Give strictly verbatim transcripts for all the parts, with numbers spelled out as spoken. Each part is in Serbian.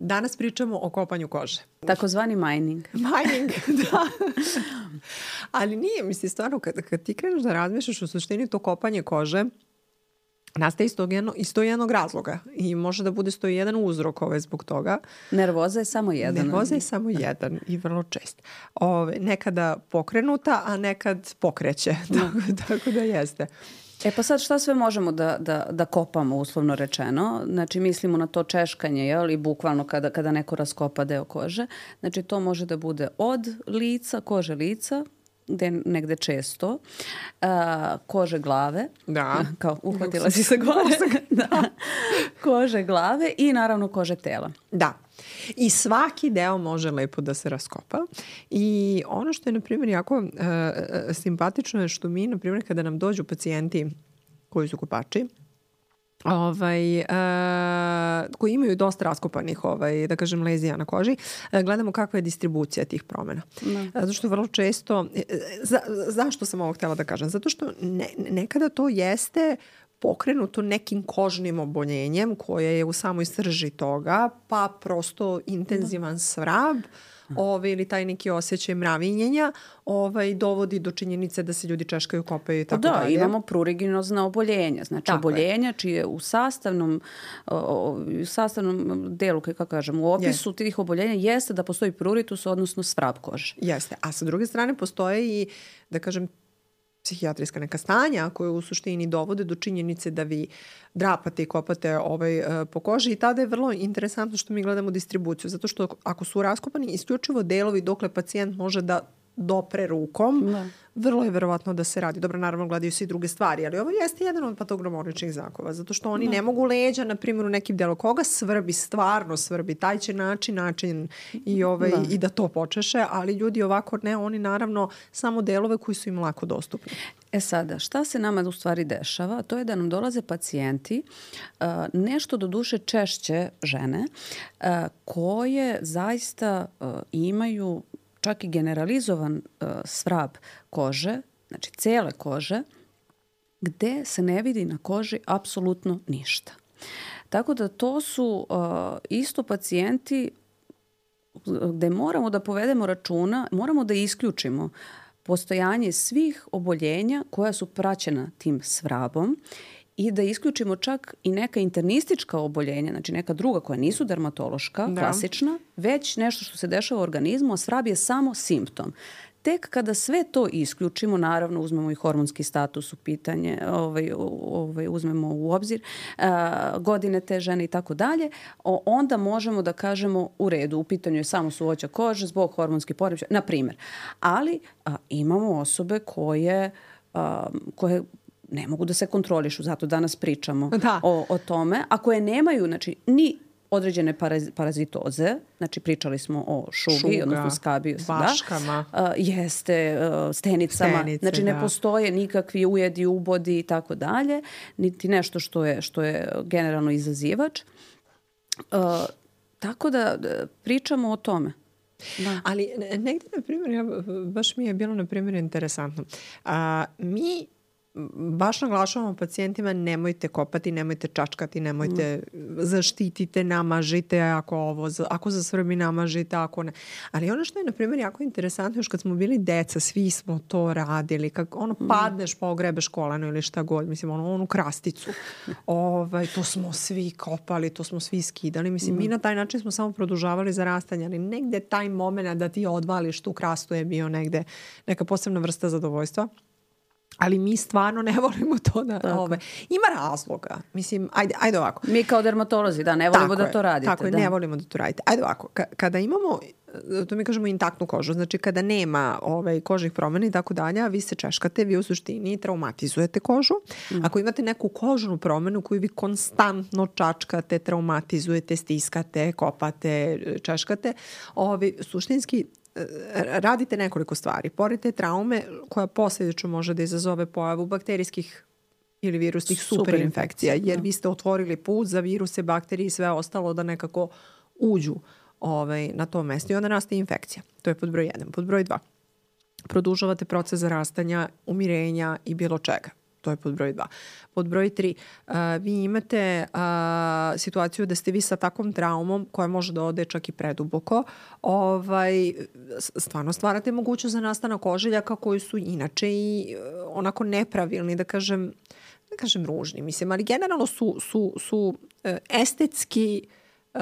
danas pričamo o kopanju kože. Takozvani mining. Mining, da. Ali nije, misli, stvarno, kad, kad ti kreneš da razmišljaš u suštini to kopanje kože, nastaje iz, jedno, iz to jednog razloga i može da bude sto jedan uzrok ove zbog toga. Nervoza je samo jedan. Nervoza je samo jedan i vrlo čest. Ove, nekada pokrenuta, a nekad pokreće. Tako, tako da jeste. E pa sad šta sve možemo da, da, da kopamo, uslovno rečeno? Znači mislimo na to češkanje, jel? I bukvalno kada, kada neko raskopa deo kože. Znači to može da bude od lica, kože lica, gde negde često, a, kože glave, da. Kao uhvatila si se gore, da. Kože glave i naravno kože tela. Da. I svaki deo može lepo da se raskopa. I ono što je, na primjer, jako uh, simpatično je što mi, na primjer, kada nam dođu pacijenti koji su kopači, Ovaj, uh, koji imaju dosta raskopanih, ovaj, da kažem, lezija na koži, uh, gledamo kakva je distribucija tih promjena. No. Uh, zato što vrlo često, uh, za, zašto sam ovo htjela da kažem? Zato što ne, nekada to jeste pokrenuto nekim kožnim oboljenjem koje je u samoj srži toga, pa prosto intenzivan svrab, Ove, ili taj neki osjećaj mravinjenja ovaj, dovodi do činjenice da se ljudi češkaju, kopaju i tako da, dalje. Da, imamo pruriginozna oboljenja. Znači tako oboljenja je. Čije u sastavnom, u sastavnom delu, kako kažem, u opisu yes. tih oboljenja jeste da postoji pruritus, odnosno svrab kože. Jeste. A sa druge strane postoje i, da kažem, psihijatrijska neka stanja koje u suštini dovode do činjenice da vi drapate i kopate ovaj, uh, po koži i tada je vrlo interesantno što mi gledamo distribuciju, zato što ako su raskopani isključivo delovi dokle pacijent može da dopre rukom, da. Vrlo je verovatno da se radi. Dobro, naravno gledaju se i druge stvari, ali ovo jeste jedan od patognomoničnih zakova, zato što oni da. Ne mogu leđa, na primjer, u nekim delu koga svrbi, stvarno svrbi, taj će način, način i, ovaj, da. I da to počeše, ali ljudi ovako ne, oni naravno samo delove koji su im lako dostupni. E sada, šta se nama u stvari dešava? To je da nam dolaze pacijenti, uh, nešto do duše češće žene, uh, koje zaista uh, imaju čak i generalizovan uh, svrab kože, znači cele kože, gde se ne vidi na koži apsolutno ništa. Tako da to su uh, isto pacijenti gde moramo da povedemo računa, moramo da isključimo postojanje svih oboljenja koja su praćena tim svrabom i da isključimo čak i neka internistička oboljenja, znači neka druga koja nisu dermatološka, da. Klasična, već nešto što se dešava u organizmu, a svrab je samo simptom. Tek kada sve to isključimo, naravno uzmemo i hormonski status u pitanje, ovaj, ovaj, uzmemo u obzir a, godine te žene i tako dalje, onda možemo da kažemo u redu, u pitanju je samo suvoća kože zbog hormonskih poremećaja, na primjer. Ali a, imamo osobe koje, a, koje ne mogu da se kontrolišu, zato danas pričamo da. o, o tome, a koje nemaju, znači, ni određene paraz, parazitoze, znači pričali smo o šugi, Šuga, odnosno skabiju, vaškama, da, uh, jeste, uh, stenicama, Stenice, znači ne da. Postoje nikakvi ujedi, ubodi i tako dalje, niti nešto što je, što je generalno izazivač. Uh, tako da pričamo o tome. Da. Ali negdje, na primjer, ja, baš mi je bilo, na primjer, interesantno. A, mi baš naglašavamo pacijentima nemojte kopati, nemojte čačkati, nemojte mm. zaštitite, namažite, ako ovo, ako zasvrbi namažite, ako ne. Ali ono što je, na primjer, jako interesantno, još kad smo bili deca, svi smo to radili, kako ono mm. padneš pa ogrebeš koleno ili šta god, mislim, ono, onu krasticu. ovaj, to smo svi kopali, to smo svi skidali. Mislim, mm. mi na taj način smo samo produžavali zarastanje, ali negde taj moment da ti odvališ tu krastu je bio negde neka posebna vrsta zadovoljstva. Ali mi stvarno ne volimo to da... Ove, ima razloga. Mislim, ajde, ajde ovako. Mi kao dermatolozi, da, ne volimo tako da je, to radite. Tako je, da. ne volimo da to radite. Ajde ovako, K- kada imamo, to mi kažemo intaktnu kožu, znači kada nema ovaj, kožnih promjena i tako dalje, a vi se češkate, vi u suštini traumatizujete kožu. Mm. Ako imate neku kožnu promjenu koju vi konstantno čačkate, traumatizujete, stiskate, kopate, češkate, ovaj, suštinski radite nekoliko stvari. Pored te traume koja posljedično može da izazove pojavu bakterijskih ili virusnih superinfekcija, jer vi ste otvorili put za viruse, bakterije i sve ostalo da nekako uđu ovaj, na to mjesto i onda nastaje infekcija. To je pod broj jedan. Pod broj dva. Produžavate proces zarastanja, umirenja i bilo čega. to je pod broj dva. Pod broj tri, uh, vi imate uh, situaciju da ste vi sa takvom traumom koja može da ode čak i preduboko, ovaj, stvarno stvarate mogućnost za nastanak ožiljaka koji su inače i uh, onako nepravilni, da kažem, da kažem ružni, mislim, ali generalno su, su, su uh, estetski uh,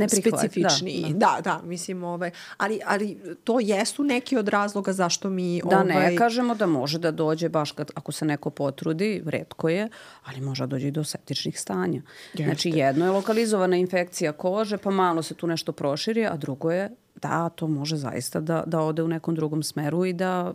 specifični. Da, da, da mislim, ovaj, ali, ali to jesu neki od razloga zašto mi... Da, ovaj... ne kažemo da može da dođe baš kad, ako se neko potrudi, retko je, ali može da dođe i do septičnih stanja. Jeste. Znači, jedno je lokalizovana infekcija kože, pa malo se tu nešto proširi, a drugo je da to može zaista da, da ode u nekom drugom smeru i da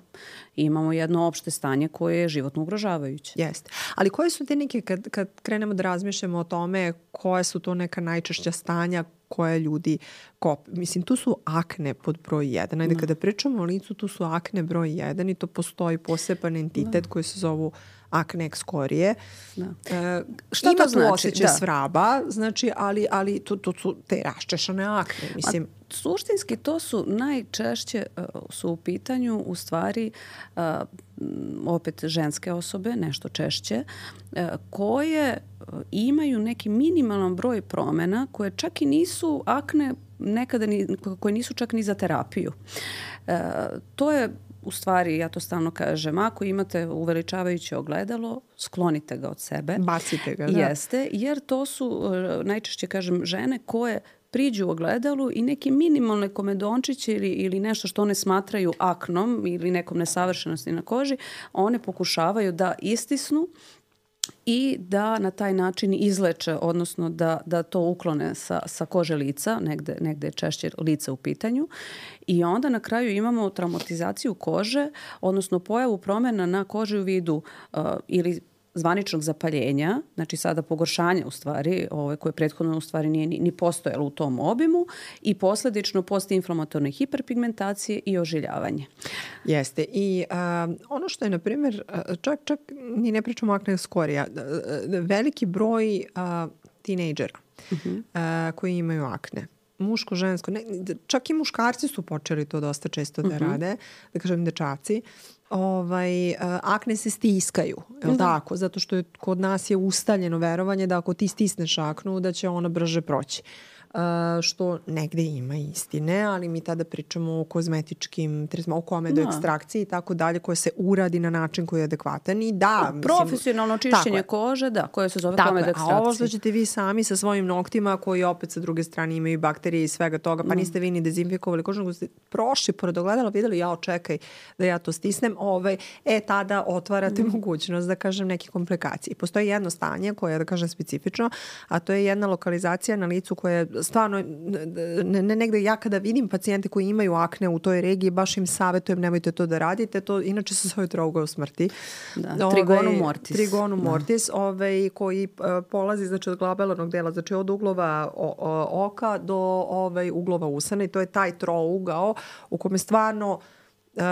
imamo jedno opšte stanje koje je životno ugrožavajuće. Jeste. Ali koje su te neke, kad, kad krenemo da razmišljamo o tome, koje su to neka najčešća stanja koje ljudi kop... Mislim, tu su akne pod broj jedan. Ajde, da. Kada pričamo o licu, tu su akne broj jedan i to postoji poseban entitet da. Koji se zovu akne ekskorije. Da. E, Šta ima to znači? Tu osjećaj da. Svraba, znači, ali, ali to, to su te raščešane akne. Mislim, A suštinski to su najčešće uh, su u pitanju u stvari uh, opet ženske osobe, nešto češće, uh, koje uh, imaju neki minimalan broj promjena koje čak i nisu akne, nekada ni, koje nisu čak ni za terapiju. Uh, to je u stvari, ja to stalno kažem, ako imate uveličavajuće ogledalo, sklonite ga od sebe. Bacite ga, da. Jeste, jer to su uh, najčešće, kažem, žene koje priđu u ogledalu i neki minimalne komedončiće ili, ili nešto što one smatraju aknom ili nekom nesavršenosti na koži, one pokušavaju da istisnu i da na taj način izleče, odnosno da, da to uklone sa, sa kože lica, negde, negde je češće lice u pitanju. I onda na kraju imamo traumatizaciju kože, odnosno pojavu promjena na koži u vidu uh, ili zvaničnog zapaljenja, znači sada pogoršanje u stvari, ovaj, koje prethodno u stvari nije ni, ni postojalo u tom obimu i posljedično postinflamatorne hiperpigmentacije i ožiljavanje. Jeste. I a, ono što je, na primjer, čak, čak ni ne pričamo akne ekskorija, veliki broj a, tinejdžera uh-huh. a, koji imaju akne. Muško, žensko, ne, čak i muškarci su počeli to dosta često da uh-huh. rade, da kažem dečaci. Ovaj, akne se stiskaju, je li mm-hmm. tako? Zato što je, kod nas je ustaljeno verovanje da ako ti stisneš aknu da će ona brže proći. Uh, što negde ima istine, ali mi tada pričamo o kozmetičkim tretmanima, o komedoekstrakciji i tako dalje, koje se uradi na način koji je adekvatan i da... Mislim, profesionalno čišćenje kože, da, koje se zove komedoekstrakcija. A ovo što ćete vi sami sa svojim noktima, koji opet sa druge strane imaju bakterije i svega toga, pa mm. niste vi ni dezinfikovali kožu, nego ste prošli pored ogledala, videli, ja očekaj da ja to stisnem, ovaj, e, tada otvarate mm. mogućnost, da kažem, neke komplikacije. Postoji jedno stanje koje je, da kažem, specifično, a to je jedna lokalizacija na licu koja je stvarno, ne, ne, negde ja kada vidim pacijente koji imaju akne u toj regiji, baš im savjetujem, nemojte to da radite, to inače se zove trougao smrti. Da, ove, trigonu mortis. Trigonu mortis, ovaj, koji uh, polazi znači, od glabelarnog dela, znači od uglova o, o, oka do ovaj, uglova usana i to je taj trougao u kome stvarno Uh,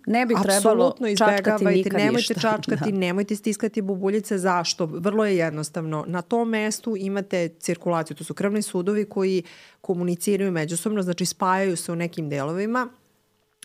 ne bi trebalo čačkati nikad nemojte ništa. čačkati, da. nemojte stiskati bubuljice. Zašto? Vrlo je jednostavno. Na tom mestu imate cirkulaciju. To su krvni sudovi koji komuniciraju međusobno, znači spajaju se u nekim delovima.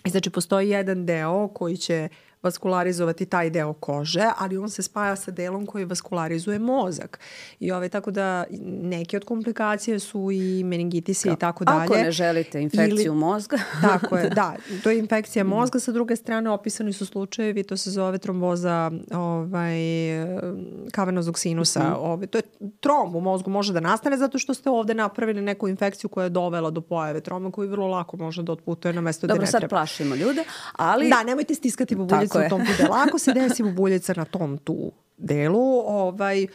I znači postoji jedan deo koji će vaskularizovati taj deo kože, ali on se spaja sa delom koji vaskularizuje mozak. I ove, tako da neke od komplikacije su i meningitisi i tako dalje. Ako ne želite infekciju Ili, mozga. Tako je, da. To je infekcija mozga. Sa druge strane, opisani su slučajevi, to se zove tromboza ovaj, kavenoznog sinusa. Mm-hmm. Ovaj, to je trom u mozgu može da nastane zato što ste ovde napravili neku infekciju koja je dovela do pojave troma koji vrlo lako može da otputuje na mesto Dobro, gde ne treba. treba. Dobro, sad plašimo ljude, ali... Da, nemojte stiskati bubuljicu u tom tu delu. Ako se desi bubuljica na tom tu delu, ovaj,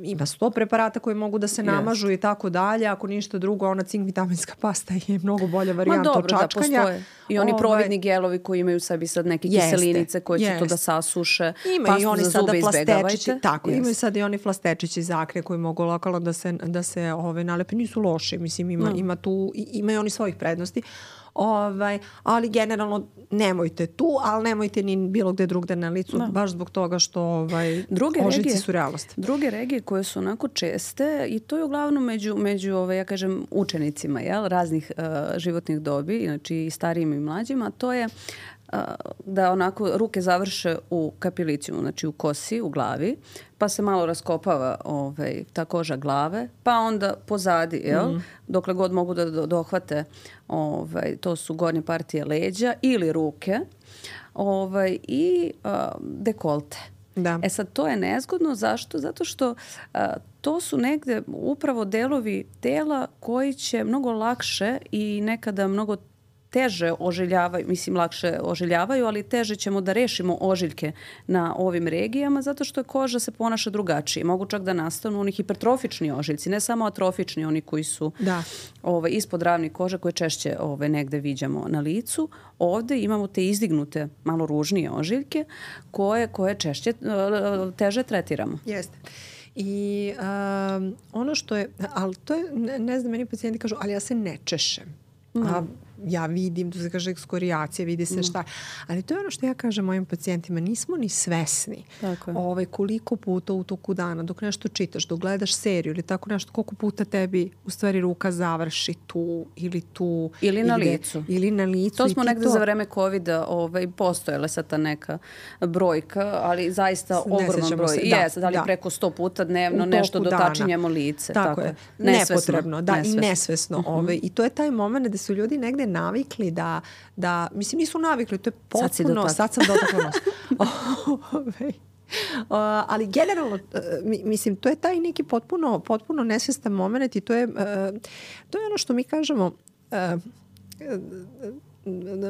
ima sto preparata koji mogu da se namažu yes. i tako dalje. Ako ništa drugo, ona cink vitaminska pasta je mnogo bolja varijanta od čačkanja. Da, postoje. I oni ovaj, providni gelovi koji imaju u sebi sad neke jeste, kiselinice koje će to da sasuše. Ima i oni sada flastečići. Tako, yes. imaju sad i oni flastečići za akne koji mogu lokalno da se, da se ove, nalepe. Nisu loši. Mislim, ima, no. ima tu, imaju oni svojih prednosti. Ovaj, ali generalno nemojte tu, ali nemojte ni bilo gde drugde na licu, no. baš zbog toga što ovaj, druge ožiljci regije, su realnost. Druge regije koje su onako česte i to je uglavnom među, među ovaj, ja kažem, učenicima jel, raznih uh, životnih dobi, znači i starijim i mlađima, to je da onako ruke završe u kapilicijumu, znači u kosi, u glavi, pa se malo raskopava ovaj, ta koža glave, pa onda pozadi, jel? Mm. Dokle god mogu da dohvate, ovaj, to su gornje partije leđa ili ruke, ovaj, i uh, dekolte. Da. E sad, to je nezgodno. Zašto? Zato što a, to su negde upravo delovi tela koji će mnogo lakše i nekada mnogo teže ožiljavaju, mislim lakše ožiljavaju, ali teže ćemo da rešimo ožiljke na ovim regijama zato što koža se ponaša drugačije. Mogu čak da nastanu oni hipertrofični ožiljci, ne samo atrofični, oni koji su da. ovaj, ispod ravni kože koje češće ovaj, negde viđamo na licu. Ovde imamo te izdignute, malo ružnije ožiljke koje, koje češće, teže tretiramo. Jeste. I um, ono što je, ali to je, ne, ne znam, meni pacijenti kažu, ali ja se ne češem. Mm. A ja vidim, tu se kaže ekskorijacija, vidi se šta. Ali to je ono što ja kažem mojim pacijentima, nismo ni svesni ovaj, koliko puta u toku dana, dok nešto čitaš, dok gledaš seriju ili tako nešto, koliko puta tebi u stvari ruka završi tu ili tu. Ili na ide, licu. Ili na licu. To smo negde to... za vreme covida ovaj, postojala sad ta neka brojka, ali zaista ogroman broj. Se, da, Jes, ali da. Preko sto puta dnevno nešto dotačinjemo lice. Tako, tako je. Nesvesno. Nepotrebno. Da, nesvesno. I nesvesno. Uh-huh. Ovaj, I to je taj moment da su ljudi negde navikli da, da, mislim nisu navikli, to je potpuno, sad, sad sam dotakla nos. uh, ali generalno, uh, mislim, to je taj neki potpuno, potpuno nesvestan moment i to je, uh, to je ono što mi kažemo, uh,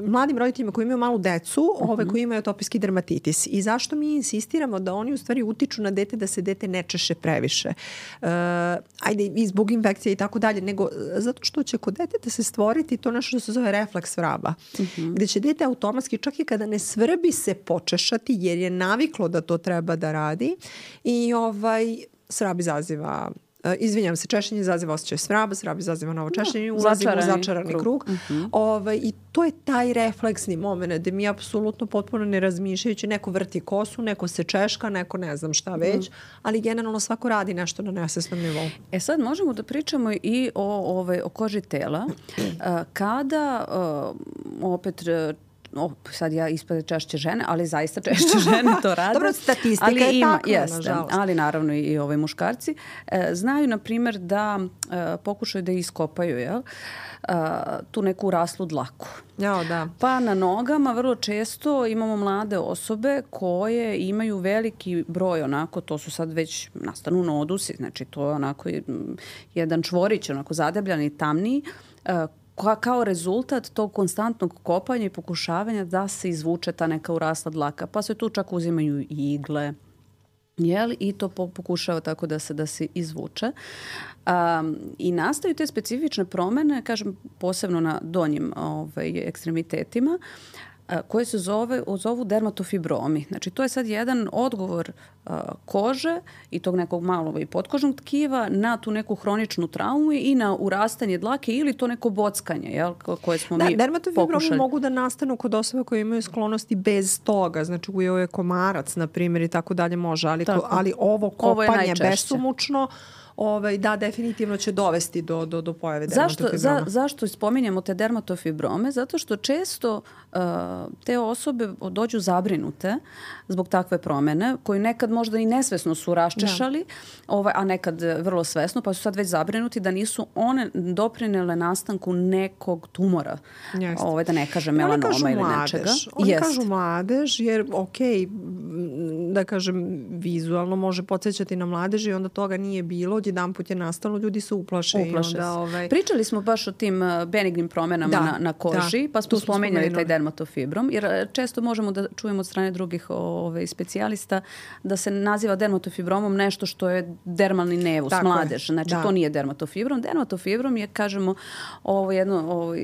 mladim roditeljima koji imaju malu decu, uh-huh. ove koji imaju atopijski dermatitis. I zašto mi insistiramo da oni u stvari utiču na dete da se dete ne češe previše. Uh, ajde, i zbog infekcije i tako dalje, nego zato što će kod deteta se stvoriti to nešto što se zove refleks vraba. Uh-huh. Gde će dete automatski, čak i kada ne svrbi, se počešati jer je naviklo da to treba da radi. I ovaj, svrab izaziva Uh, izvinjam se, češenje izaziva osjećaj svraba, svrab izaziva novo češenje i ulazimo u začarani krug. krug. Uh-huh. Ovaj, I to je taj refleksni moment gde mi apsolutno potpuno ne razmišljajući, neko vrti kosu, neko se češka, neko ne znam šta već, uh-huh. ali generalno svako radi nešto na nesvesnom nivou. E sad možemo da pričamo i o, ovaj, o koži tela. Uh, kada uh, opet O, sad ja ispade češće žene, ali zaista češće žene to rade. Dobro, statistika ali je ima, takva, jeste, nažalost. Ali naravno i, i ovaj muškarci e, znaju, na primjer, da e, pokušaju da iskopaju jel, e, tu neku raslu dlaku. Jo, da. Pa na nogama vrlo često imamo mlade osobe koje imaju veliki broj onako, to su sad već nastanu nodusi, znači to je onako jedan čvorić, onako zadebljan i tamniji, e, kao rezultat tog konstantnog kopanja i pokušavanja da se izvuče ta neka urasla dlaka. Pa se tu čak uzimaju igle, jel? I to pokušava tako da se, da se izvuče. Um, I nastaju te specifične promene, kažem, posebno na donjim ovaj, ekstremitetima, koje se zove, zovu dermatofibromi. Znači, to je sad jedan odgovor uh, kože i tog nekog malog i potkožnog tkiva na tu neku hroničnu traumu i na urastanje dlake ili to neko bockanje, jel, koje smo da, mi dermatofibromi pokušali. Mogu da nastanu kod osoba koje imaju sklonosti bez toga. Znači, ujeo je komarac, na primjer, i tako dalje može. Ali, to, ali ovo kopanje ovo besumučno, Ovaj, da, definitivno će dovesti do, do, do pojave dermatofibroma. Zašto, za, zašto spominjemo te dermatofibrome? Zato što često uh, te osobe dođu zabrinute zbog takve promene, koje nekad možda i nesvesno su raščešali, ovaj, a nekad vrlo svesno, pa su sad već zabrinuti da nisu one doprinele nastanku nekog tumora. Ovaj, da ne kažem melanoma ili mladež. nečega. Oni Jest. kažu mladež jer, ok, da kažem, vizualno može podsjećati na mladež i onda toga nije bilo, jedan put je nastalo, ljudi su uplaše. Uplaše i onda, ovaj... Pričali smo baš o tim benignim promenama da, na, na koži, da, pa smo spomenjali taj dermatofibrom, jer često možemo da čujemo od strane drugih ovaj, specijalista da se naziva dermatofibromom nešto što je dermalni nevus, Tako mladež. Je. Znači, da. to nije dermatofibrom. Dermatofibrom je, kažemo, ovo jedno ovaj,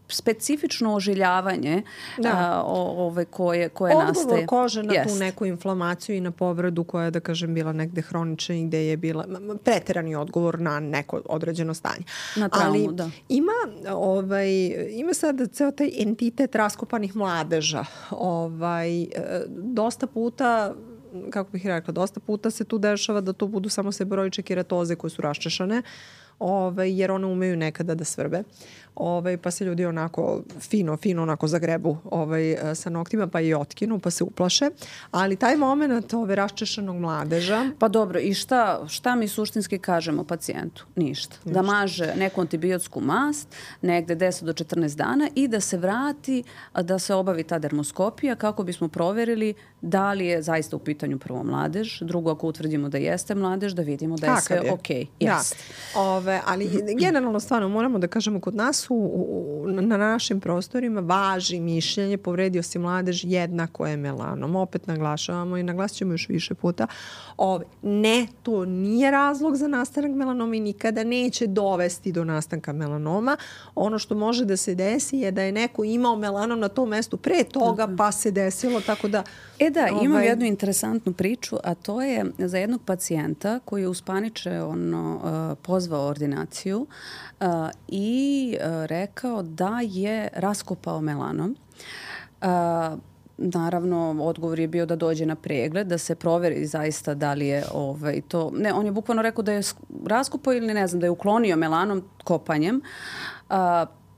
specifično ožiljavanje a, o, ove koje, koje Odgovor nastaje. Odgovor kože na Jest. tu neku inflamaciju i na povredu koja je, da kažem, bila negde hronična i gde je bila preterani odgovor na neko određeno stanje. Na traumu, Ali da. Ima, ovaj, ima sad ceo taj entitet raskopanih mladeža. Ovaj, dosta puta kako bih rekla, dosta puta se tu dešava da to budu samo seboroične keratoze koje su raščešane. ovaj, jer one umeju nekada da svrbe. Ovaj, pa se ljudi onako fino, fino onako zagrebu ovaj, sa noktima pa i otkinu pa se uplaše. Ali taj moment ove raščešenog mladeža... Pa dobro, i šta, šta mi suštinski kažemo pacijentu? Ništa. Ništa. Da maže neku antibiotsku mast negde deset do četrnaest dana i da se vrati, da se obavi ta dermoskopija kako bismo proverili da li je zaista u pitanju prvo mladež, drugo ako utvrdimo da jeste mladež, da vidimo da je sve je. ok. Yes. Da. Ove, ali generalno stvarno moramo da kažemo kod nas u, u, na našim prostorima važi mišljenje povredio si mladež jednako je melanom. Opet naglašavamo i naglasit ćemo još više puta. Ove, ne, to nije razlog za nastanak melanoma i nikada neće dovesti do nastanka melanoma. Ono što može da se desi je da je neko imao melanom na tom mestu pre toga pa se desilo, tako da... E da, imam ovaj... jednu interesantnu priču, a to je za jednog pacijenta koji je uspaniče ono, uh, pozvao ordinaciju uh, i uh, rekao da je raskopao melanom. Uh, Naravno, odgovor je bio da dođe na pregled, da se proveri zaista da li je ovaj, to... Ne, on je bukvalno rekao da je raskopao ili ne znam, da je uklonio melanom kopanjem. Uh,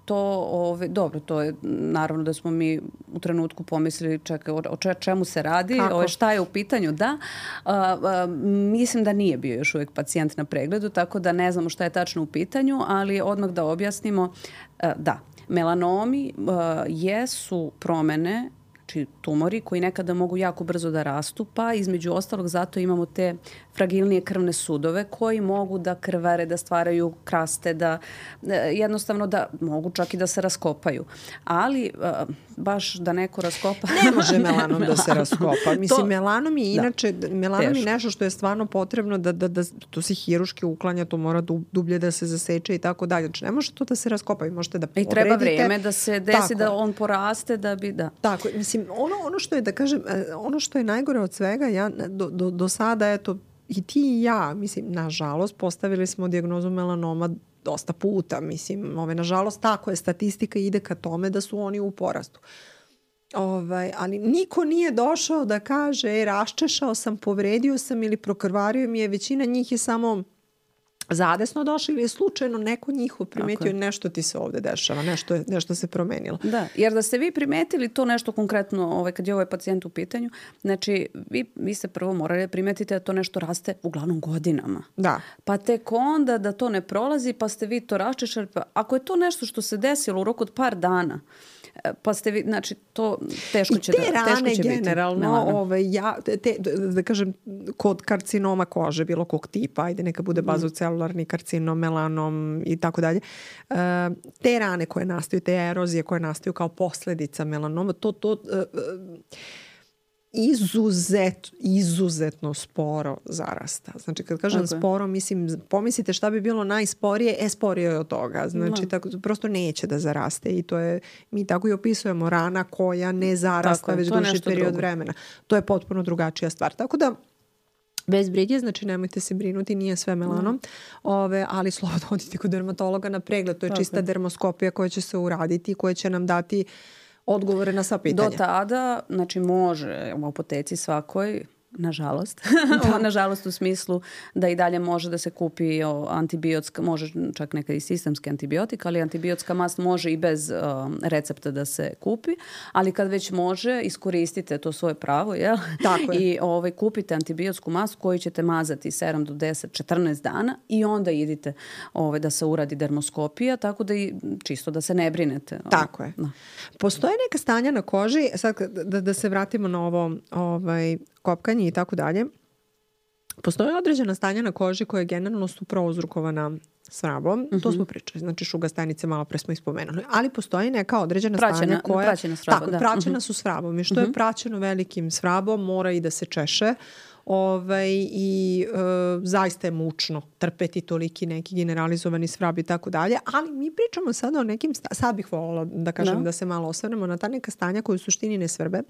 To, ove, dobro, to je naravno da smo mi u trenutku pomislili čekaj, o, o čemu se radi, ove, šta je u pitanju, da. A, a, mislim da nije bio još uvijek pacijent na pregledu, tako da ne znamo šta je tačno u pitanju, ali odmah da objasnimo, a, da, melanomi a, jesu promene, znači tumori koji nekada mogu jako brzo da rastu, pa između ostalog zato imamo te fragilnije krvne sudove koji mogu da krvare, da stvaraju kraste, da jednostavno da mogu čak i da se raskopaju. Ali baš da neko raskopa... Ne može melanom da se raskopa. Mislim, to, melanom je inače, da, melanom je nešto što je stvarno potrebno da, da, da to se hiruški uklanja, to mora dublje da se zaseče i tako dalje. Znači, ne može to da se raskopa i možete da povredite. I treba vreme da se desi tako, da on poraste da bi, da. Tako, mislim, ono, ono što je, da kažem, ono što je najgore od svega, ja do, do, do sada, eto, i ti i ja, mislim, nažalost, postavili smo dijagnozu melanoma dosta puta, mislim, ove, nažalost, tako je, statistika ide ka tome da su oni u porastu. Ovaj, ali niko nije došao da kaže, e, raščešao sam, povredio sam ili prokrvario mi je, većina njih je samo zadesno došli ili je slučajno neko njihov primetio nešto ti se ovde dešava, nešto, je, nešto se promenilo. Da, jer da ste vi primetili to nešto konkretno ovaj, kad je ovaj pacijent u pitanju, znači vi, vi ste prvo morali da primetite da to nešto raste uglavnom godinama. Da. Pa tek onda da to ne prolazi pa ste vi to raščešali. Pa ako je to nešto što se desilo u roku od par dana, pa ste vi, znači to teško će, da, teško će biti. I te rane generalno, ovaj, ja, te, da kažem, kod karcinoma kože, bilo kog tipa, ajde neka bude bazocelularni karcinom, melanom i tako dalje, te rane koje nastaju, te erozije koje nastaju kao posljedica melanoma, to, to izuzet, izuzetno sporo zarasta. Znači, kad kažem okay. sporo, mislim, pomislite šta bi bilo najsporije, e, sporije je od toga. Znači, no. tako, prosto neće da zaraste i to je, mi tako i opisujemo, rana koja ne zarasta već duži period drugo. vremena. To je potpuno drugačija stvar. Tako da, bez brige, znači nemojte se brinuti, nije sve melanom, mm. ove, ali slobodno odite kod dermatologa na pregled. To je tako. Čista dermoskopija koja će se uraditi, koja će nam dati odgovore na sva pitanja. Do tada, znači može u apoteci svakoj, nažalost, nažalost u smislu da i dalje može da se kupi antibiotska, može čak nekad i sistemski antibiotik, ali antibiotska mast može i bez um, recepta da se kupi, ali kad već može, iskoristite to svoje pravo, jel? Tako je. I ovaj, kupite antibiotsku mastu koju ćete mazati sedam do deset, četrnaest dana i onda idite ovaj, da se uradi dermoskopija, tako da i čisto da se ne brinete. Tako je. Da. Postoje neka stanja na koži, sad da, da se vratimo na ovo ovaj, kopkanje i tako dalje. Postoje određena stanja na koži koje generalno su prouzrokovana svrabom. Uh-huh. To smo pričali. Znači šuga stanice malo pre smo ispomenuli. Ali postoji neka određena praćena, stanja koja... Praćena svrabom, tako, da. praćena uh-huh. su svrabom. I što uh-huh. je praćeno velikim svrabom mora i da se češe. Ovaj, i e, zaista je mučno trpeti toliki neki generalizovani svrab i tako dalje, ali mi pričamo sada o nekim, sta- sad bih voljela da kažem no. da se malo osvrnemo na ta neka stanja koje u suštini ne svrbe,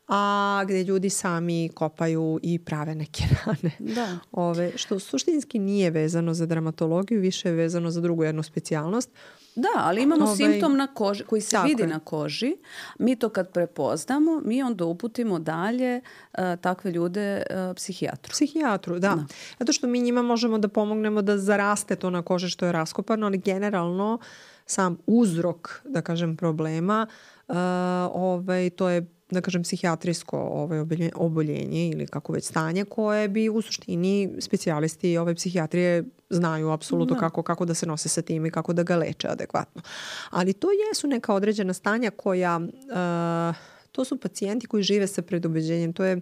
a gdje ljudi sami kopaju i prave neke rane. Da. Ove, što suštinski nije vezano za dermatologiju, više je vezano za drugu jednu specijalnost. Da, ali imamo ovaj, simptom na koži koji se vidi je. na koži. Mi to kad prepoznamo, mi onda uputimo dalje uh, takve ljude uh, psihijatru. Psihijatru, da. da. Zato što mi njima možemo da pomognemo da zaraste to na koži što je raskopano, ali generalno sam uzrok, da kažem, problema, uh, ovaj, to je, da kažem, psihijatrijsko ovaj, oboljenje ili kako već stanje koje bi u suštini specijalisti ove psihijatrije znaju apsolutno da. kako, kako da se nose sa tim i kako da ga leče adekvatno. Ali to jesu neka određena stanja koja, uh, to su pacijenti koji žive sa predubeđenjem. To je,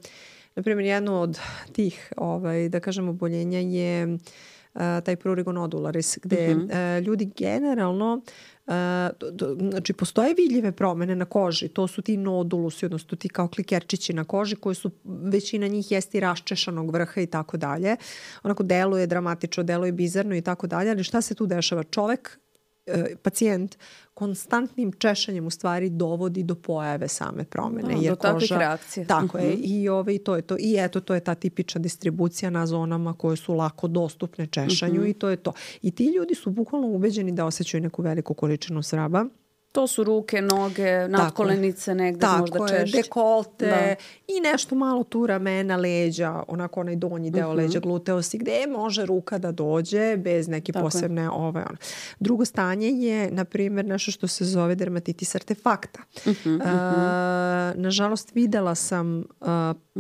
na primjer, jedno od tih, ovaj, da kažem, oboljenja je uh, taj prurigo nodularis, gde uh-huh. uh, ljudi generalno Uh, do, do, znači postoje vidljive promene na koži, to su ti nodulusi, odnosno ti kao klikerčići na koži koji su, većina njih jeste i raščešanog vrha i tako dalje. Onako deluje dramatično, deluje bizarno i tako dalje, ali šta se tu dešava? Čovek, e, pacijent, konstantnim češanjem u stvari dovodi do pojave same promene. Da, jer do takvih koža, reakcija. Tako uh-huh. je. I, ove, i, to je to. I eto, to je ta tipična distribucija na zonama koje su lako dostupne češanju uh-huh. i to je to. I ti ljudi su bukvalno ubeđeni da osjećaju neku veliku količinu sraba. To su ruke, noge, nadkolenice negde tako možda je, češće. Dekolte da. I nešto malo tu ramena, leđa, onako onaj donji deo uh-huh. leđa, gluteosi, gde može ruka da dođe bez neke tako posebne ove. Ono. Drugo stanje je, na primjer, nešto što se zove dermatitis artefakta. Uh-huh, uh-huh. Uh, nažalost, videla sam uh,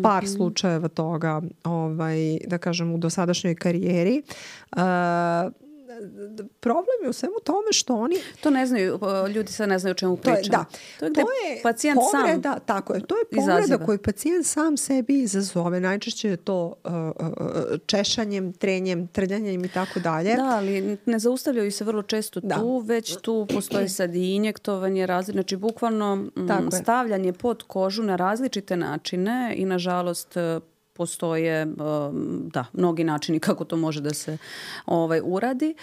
par uh-huh. slučajeva toga, ovaj, da kažem, u dosadašnjoj karijeri. Uh, problem je u svemu tome što oni... To ne znaju, ljudi sad ne znaju o čemu pričamo. To je, da. To je gde to je pacijent povreda, sam tako je, to je povreda izaziva. Koju pacijent sam sebi izazove. Najčešće je to uh, uh, češanjem, trenjem, trljanjem i tako dalje. Da, ali ne zaustavljaju se vrlo često da. tu, već tu postoji sad i injektovanje, razli... znači bukvalno m, stavljanje pod kožu na različite načine i nažalost postoje da, mnogi načini kako to može da se ovaj, uradi.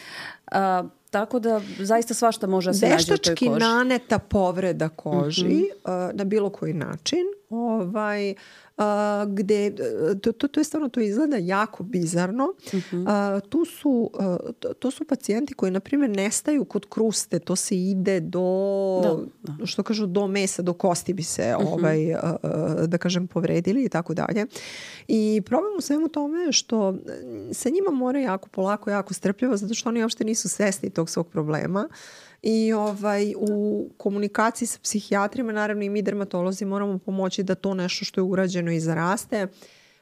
A, tako da zaista svašta može da se nađe u toj koži. Veštački naneta povreda koži uh-huh. uh, na bilo koji način. Ovaj, uh, gde, to, to, to je stvarno, to izgleda jako bizarno. Uh-huh. Uh, tu su, uh, to, to su pacijenti koji, na primjer, nestaju kod kruste. To se ide do, da, da. što kažu, do mesa, do kosti bi se, uh-huh. ovaj, uh, da kažem, povredili i tako dalje. I problem u svemu tome je što se njima mora jako polako, jako strpljivo, zato što oni uopšte nisu svesni tog svog problema. I ovaj, u komunikaciji sa psihijatrima, naravno i mi dermatolozi moramo pomoći da to nešto što je urađeno i zaraste,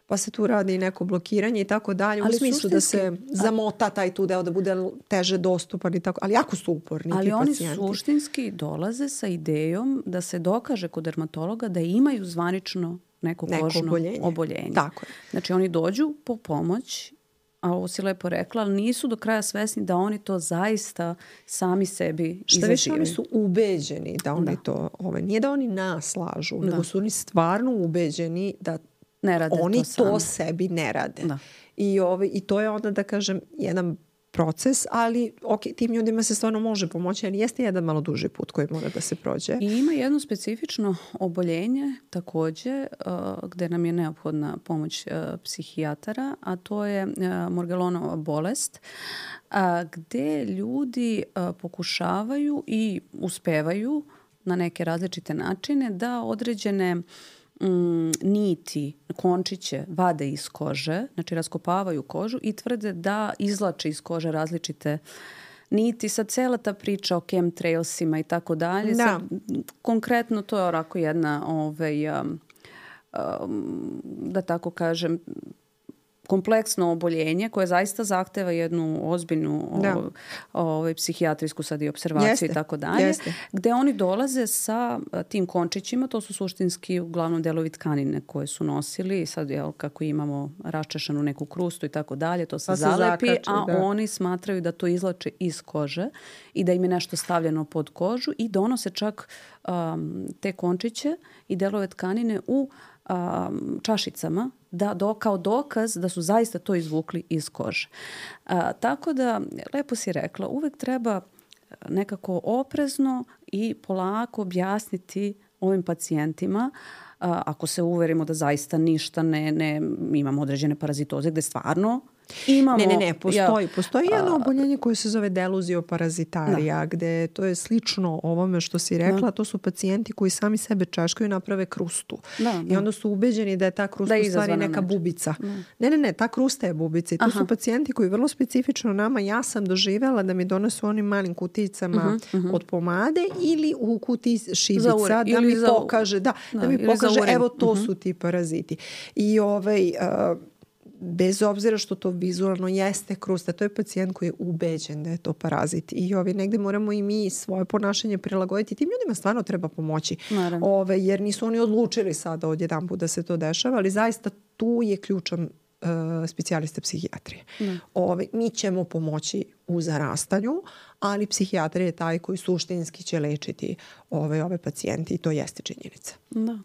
pa se tu radi i neko blokiranje i tako dalje, u smislu da se zamota taj tu deo, da bude teže dostupan i tako, ali jako su uporni ali ti oni pacijenti. Suštinski dolaze sa idejom da se dokaže kod dermatologa da imaju zvanično neko, neko kožno oboljenje. oboljenje. Tako je. Znači oni dođu po pomoć, a ovo si lepo rekla, ali nisu do kraja svesni da oni to zaista sami sebi izazivaju. Šta više, oni su ubeđeni da oni da. to, ovaj, nije da oni nas lažu, da. nego su oni stvarno ubeđeni da ne rade oni to, to sebi ne rade. Da. I, ovaj, I to je onda, da kažem, jedan proces, ali ok, tim ljudima se stvarno može pomoći, ali jeste jedan malo duži put koji mora da se prođe. I ima jedno specifično oboljenje takođe uh, gde nam je neophodna pomoć uh, psihijatara, a to je uh, Morgellonova bolest, uh, gde ljudi uh, pokušavaju i uspevaju na neke različite načine da određene Mm, niti, končiće vade iz kože, znači raskopavaju kožu i tvrde da izlače iz kože različite niti. Sad cela ta priča o chemtrailsima i tako dalje. Sad, konkretno to je orako jedna ovaj, um, um, da tako kažem, kompleksno oboljenje koje zaista zahteva jednu ozbiljnu o, ovaj, psihijatrijsku sad i observaciju jeste, i tako dalje. Jeste. Gde oni dolaze sa tim končićima, to su suštinski uglavnom delovi tkanine koje su nosili. Sad jel, kako imamo raščešanu neku krustu i tako dalje, to se pa zalepi, se zakači, a da. oni smatraju da to izlače iz kože i da im je nešto stavljeno pod kožu i donose čak um, te končiće i delove tkanine u um, čašicama da do, kao dokaz da su zaista to izvukli iz kože. A, tako da, lepo si rekla, uvek treba nekako oprezno i polako objasniti ovim pacijentima, a, ako se uverimo da zaista ništa ne, ne imamo određene parazitoze gde stvarno Imamo, ne, ne, ne, postoji. Ja, postoji jedno oboljenje koje se zove deluzioparazitaria, da. gde to je slično ovome što si rekla, da. To su pacijenti koji sami sebe čaškaju i naprave krustu. Da, da. I onda su ubeđeni da je ta krusta da u stvari neka neč. bubica. Da. Ne, ne, ne, ta krusta je bubica. I to Aha. su pacijenti koji vrlo specifično nama, ja sam doživjela da mi donesu onim malim kuticama uh-huh, uh-huh. od pomade ili u kutiji šibica ure, da mi za, pokaže, da, da, da mi pokaže, evo to uh-huh. su ti paraziti. I ovaj... Uh, bez obzira što to vizualno jeste krusta, to je pacijent koji je ubeđen da je to parazit. I ovi, negde moramo i mi svoje ponašanje prilagoditi. Tim ljudima stvarno treba pomoći. Ove, jer nisu oni odlučili sada odjedan put da se to dešava, ali zaista tu je ključan uh, specijalista psihijatrije. Ove, mi ćemo pomoći u zarastanju, ali psihijatrija je taj koji suštinski će lečiti ove, ove pacijenti i to jeste činjenica. Da.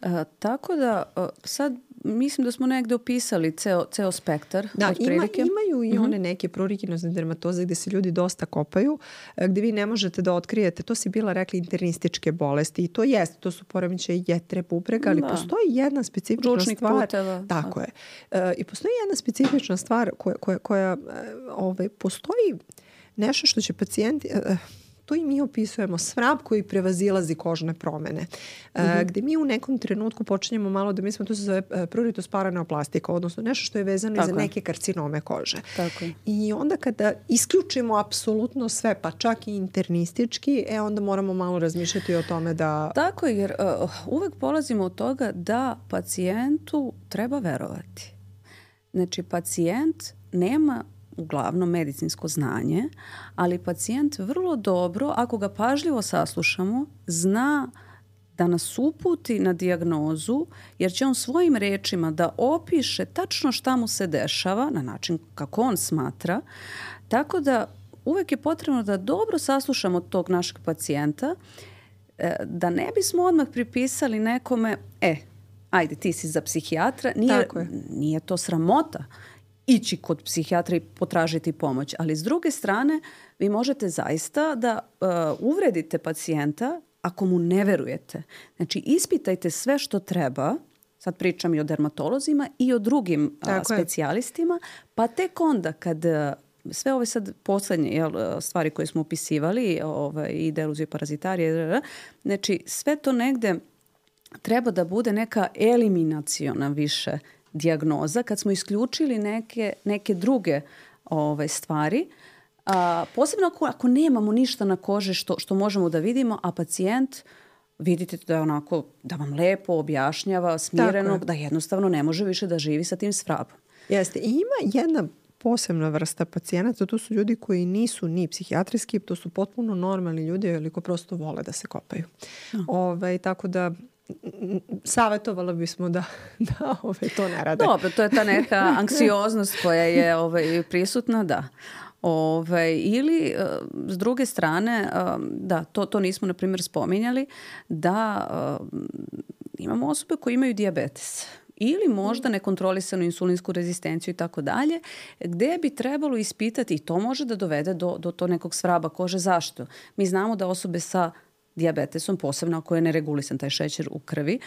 E, tako da sad mislim da smo negde opisali ceo, ceo spektar. Da, ima, imaju i one neke pruriginozne dermatoze gde se ljudi dosta kopaju, gde vi ne možete da otkrijete, to si bila rekla internističke bolesti i to jeste, to su poremećaji jetre, bubrega, ali da. postoji jedna specifična Ručnik stvar. Puteva. Tako je. E, I postoji jedna specifična stvar koja, koja, koja ove, postoji nešto što će pacijenti... E, to i mi opisujemo svrab koji prevazilazi kožne promene. Mm-hmm. E, gde mi u nekom trenutku počinjemo malo da mislimo, to se zove pruritus paraneoplastika, odnosno nešto što je vezano Tako i za je. neke karcinome kože. Tako je. I onda kada isključimo apsolutno sve, pa čak i internistički, e onda moramo malo razmišljati o tome da... Tako je, jer uh, uvek polazimo od toga da pacijentu treba verovati. Znači, pacijent nema uglavnom medicinsko znanje, ali pacijent vrlo dobro, ako ga pažljivo saslušamo, zna da nas uputi na dijagnozu, jer će on svojim rečima da opiše tačno šta mu se dešava na način kako on smatra. Tako da uvek je potrebno da dobro saslušamo tog našeg pacijenta, da ne bismo odmah pripisali nekome, e, ajde, ti si za psihijatra, nije, nije to sramota ići kod psihijatra i potražiti pomoć. Ali s druge strane, vi možete zaista da uh, uvredite pacijenta ako mu ne verujete. Znači, ispitajte sve što treba, sad pričam i o dermatolozima i o drugim uh, specijalistima, pa tek onda kad uh, sve ove sad poslednje jel, stvari koje smo upisivali, ovaj, i deluzioparazitaria, znači sve to negde treba da bude neka eliminaciona više dijagnoza, kad smo isključili neke, neke druge ove, stvari. A, posebno ako, ako nemamo ništa na koži što, što možemo da vidimo, a pacijent vidite da je onako, da vam lepo objašnjava, smireno, da jednostavno ne može više da živi sa tim svrabom. Jeste. I ima jedna posebna vrsta pacijenata, to su ljudi koji nisu ni psihijatrijski, to su potpuno normalni ljudi, ili ko prosto vole da se kopaju. No. Ove, tako da savjetovala bismo da, da ove, to ne rade. Dobro, to je ta neka anksioznost koja je ove, prisutna, da. Ove, ili s druge strane, da, to, to nismo na primjer spominjali, da imamo osobe koje imaju dijabetes ili možda nekontrolisanu insulinsku rezistenciju i tako dalje, gde bi trebalo ispitati, i to može da dovede do, do to nekog svraba kože. Zašto? Mi znamo da osobe sa dijabetesom, posebno ako je neregulisan taj šećer u krvi,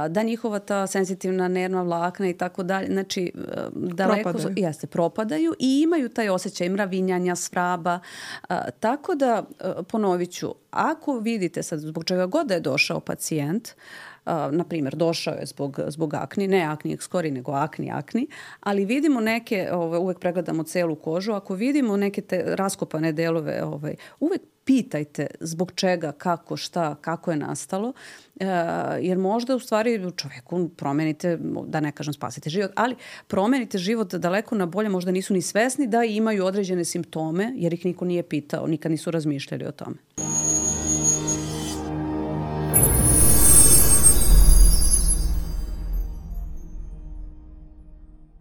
da njihova ta senzitivna nervna vlakna i tako dalje, znači daleko propadaju. Jeste, propadaju i imaju taj osjećaj mravinjanja, svraba. Tako da, ponovit ću, ako vidite sad zbog čega god da je došao pacijent, Uh, na primjer, došao je zbog, zbog akni, ne akni ekskori, nego akni, akni, ali vidimo neke, ove, uvek pregledamo celu kožu, ako vidimo neke te raskopane delove, ove, uvek pitajte zbog čega, kako, šta, kako je nastalo, uh, jer možda u stvari čoveku promenite, da ne kažem spasite život, ali promenite život daleko na bolje, možda nisu ni svesni da imaju određene simptome, jer ih niko nije pitao, nikad nisu razmišljali o tome.